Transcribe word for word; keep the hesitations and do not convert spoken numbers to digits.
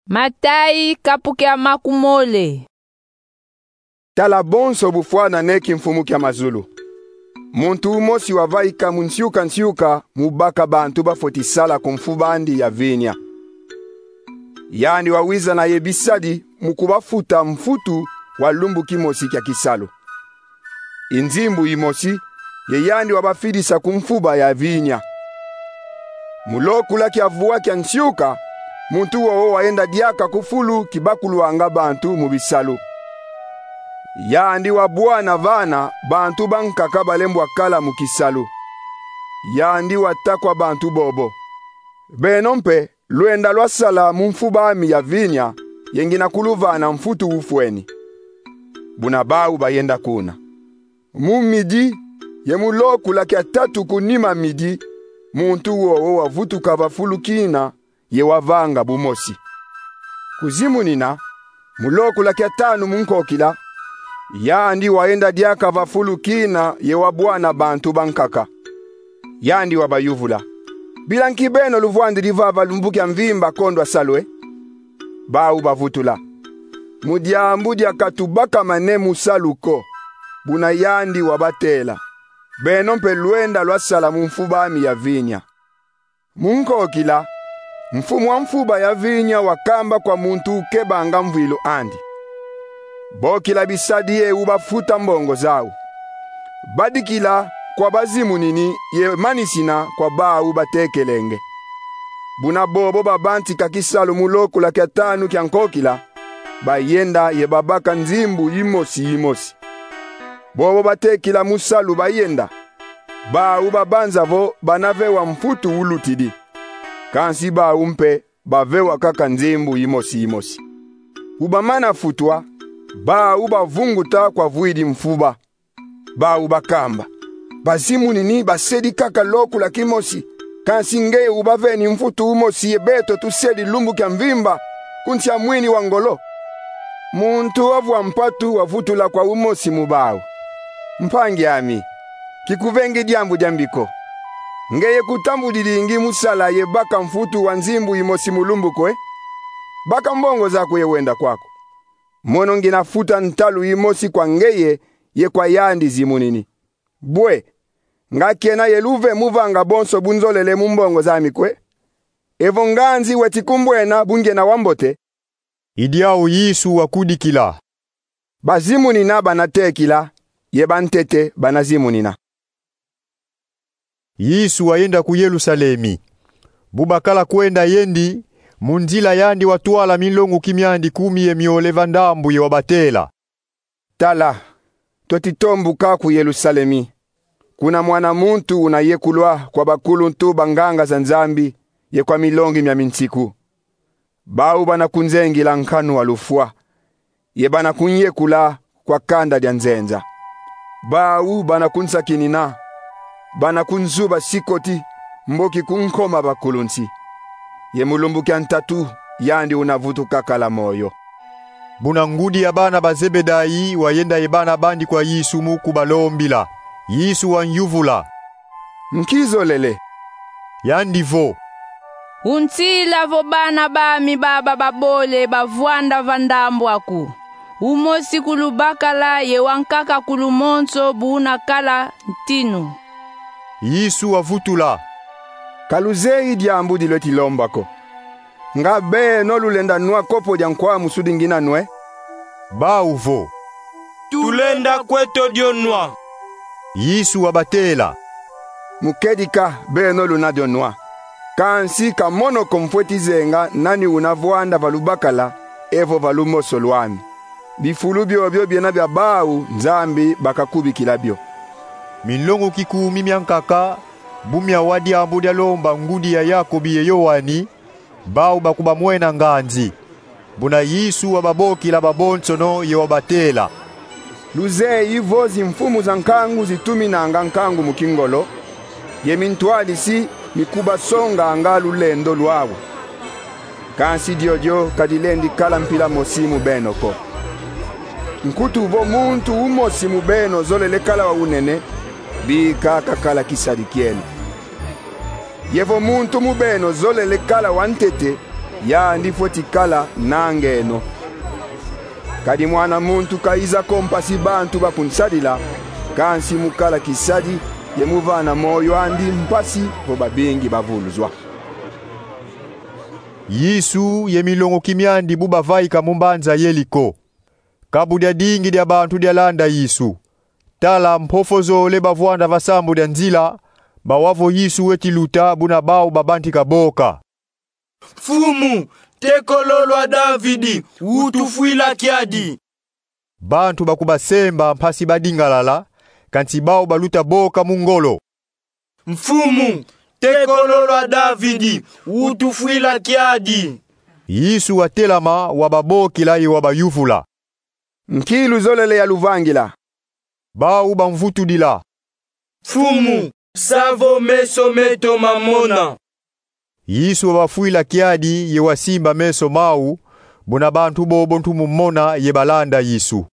Matayi, kapu kia makumole. Tala bonso bufwanane kimfumu kia mazulu. Muntu umosi wavaika mu nsiuka nsiuka mu baka bantu bafweti sala ku mfuba andi ya vinya. Yandi wawiza na ye bisadi mu kubafuta mfutu wa lumbu kimosi kia kisalu. I nzimbu imosi, ye yandi wabafidisa ku mfuba ya vinya. Mu lokula kia vwa kia nsiuka, muntu wowo wayenda diaka ku fulu kibakulwanga bantu mu bisalu. Yandi wabwana vana bantu bankaka balembwa kala mu kisalu. Yandi wata kwa bantu bobo: Beno mpe lwenda lwasala mu mfuba ami ya vinya, ye ngina kuluvana mfutu ufweni. Buna bau bayenda kuna. Mu midi, ye mu lokula kia tatu ku nima midi, muntu wowo wavutuka va fulu kina, ye wavanga bumosi. Ku zimunina, mu lokula kia tanu mu nkokila, yandi wayenda diaka va fulu kina ye wabwana bantu bankaka. Yandi wabayuvula: Bila nki beno luvwandidi vava lumbu kia mvimba kondwa salu e? Bau bavutula: Mu diambu dia katubakamane mu salu ko. Buna yandi wabatela: Beno mpe lwenda lwasala mu mfuba ami ya vinya. Mu nkokila, mfumu wa mfuba ya vinya wakamba kwa muntu ukebanga mvwilu andi: Bokila bisadi ye ubafuta mbongo zau. Badikila kwa bazimunini ye manisina kwa bau batekelenge. Buna bobo babantika kisalu mu lokula kia tanu kia nkokila, bayenda ye babaka nzimbu imosi imosi. Bobo batekila mu salu bayenda. Bau babanza vo bana vewa mfutu ulutidi. Kansi bau mpe bavewa kaka nzimbu imosi imosi. Bu bamana futwa, bau bavunguta kwa vwidi mfuba. Bau bakamba: Bazimunini basedi kaka lokula kimosi, kansi ngeye ubaveni mfutu umosi ye beto tusedi lumbu kia mvimba ku nsi a mwini wa ngolo. Muntu wa vwa mpatu wavutula kwa umosi mu bau: Mpangi ami, kikuvengi diambu diambi ko. Ngeye kutambudidingi mu sala ye baka mfutu wa nzimbu imosi mu lumbu ko e? Baka mbongo zaku ye wenda kwaku. Mono ngina futa ntalu imosi kwa ngeye ye kwa yandi zimunini. Bwe, nga kena ye luve mu vanga bonso bu nzolele mu mbongo zami ko e? Evo nganzi weti kumbwena bu ngena wa mbote. I diau Yesu wakudikila: Bazimunina bana tekila, ye bantete bana zimunina. Yesu wayenda ku Yerusalemi. Bu bakala kwenda yendi, mu nzila yandi watwala minlonguki miandi kumi ye miole va ndambu ye wabatela: Tala, tweti tombuka ku Yerusalemi. Kuna Mwana muntu una yekulwa kwa bakuluntu banganga za Nzambi ye kwa milongi mia minsiku. Bau bana kunzengila nkanu wa lufwa, ye bana kunyekula kwa kanda dia nzenza. Bau bana kunsakinina, bana kunzuba sikoti, mboki kunkoma bakulunsi. Ye mu lumbu kia ntatu, yandi una vutuka kala moyo. Buna ngudi ya bana ba Zebedai wayenda ye bana bandi kwa Yesu mu kubalombila. Yesu wanyuvula: Nki zolele? Yandi vo: Unsila vo bana bami baba babole bavwanda va ndambu aku, umosi ku lubakala ye wankaka ku lumonso bu una kala ntinu. Yesu wavutula: Ka luzeyi diambu di lweti lomba ko. Nga beno lulenda nwa kopo dia nkwamusu di ngina nwe? Bau vo: Tulenda kweto dio nwa. Yesu wabatela: Mu kedika beno luna dio nwa. Kansi ka mono ko mfweti zenga nani una vwanda va lubakala evo va lumoso lwami. Bifulu biobio biena bia bau, Nzambi bakakubikila bio. Minlonguki kumi miankaka, bu miawa diambu dia lomba ngudi ya Yakobi ye Yoani, bau bakubamwena nganzi. Buna Yesu wababokila babonsono ye wabatela: Luzeyi vo zimfumu za nkangu zituminanga nkangu mu kingolo, ye mintwadisi mikubasonganga lulendo lwau. Kansi diodio ka dilendi kala mpila mosi mu beno ko. Nkutu vo muntu umosi mu beno zolele kala wa unene, bika kakala kisadi kieno. Ye vo muntu mu beno zolele kala wa ntete, Yandi fweti kala nangeno. Kadi Mwana muntu kayiza ko mpasi bantu bakunsadila, kansi mu kala kisadi ye mu vana moyo andi mpasi vo babingi bavuluzwa. Yesu ye milongoki miandi bu bavaika mu mbanza Yeriko. Kabu diadingi dia bantu dialanda Yesu. Tala, mpofo zole bavwanda va sambu dia nzila, bawa vo Yesu weti luta, buna bau babantika boka: "Mfumu, Ntekolo lwa Davidi, utufwila kiadi!" Bantu bakubasemba mpasi badingalala, kansi bau baluta boka mu ngolo: "Mfumu, Ntekolo lwa Davidi, utufwila kiadi!" Yesu watelama, wababokila ye wabayuvula: "Nki luzolele ya luvangila?" Bau bamvutudila: "Mfumu, sa vo meso meto mamona." Yesu wabafwila kiadi ye wasimba meso mau, buna bantu bobo ntu mu mona ye balanda Yesu.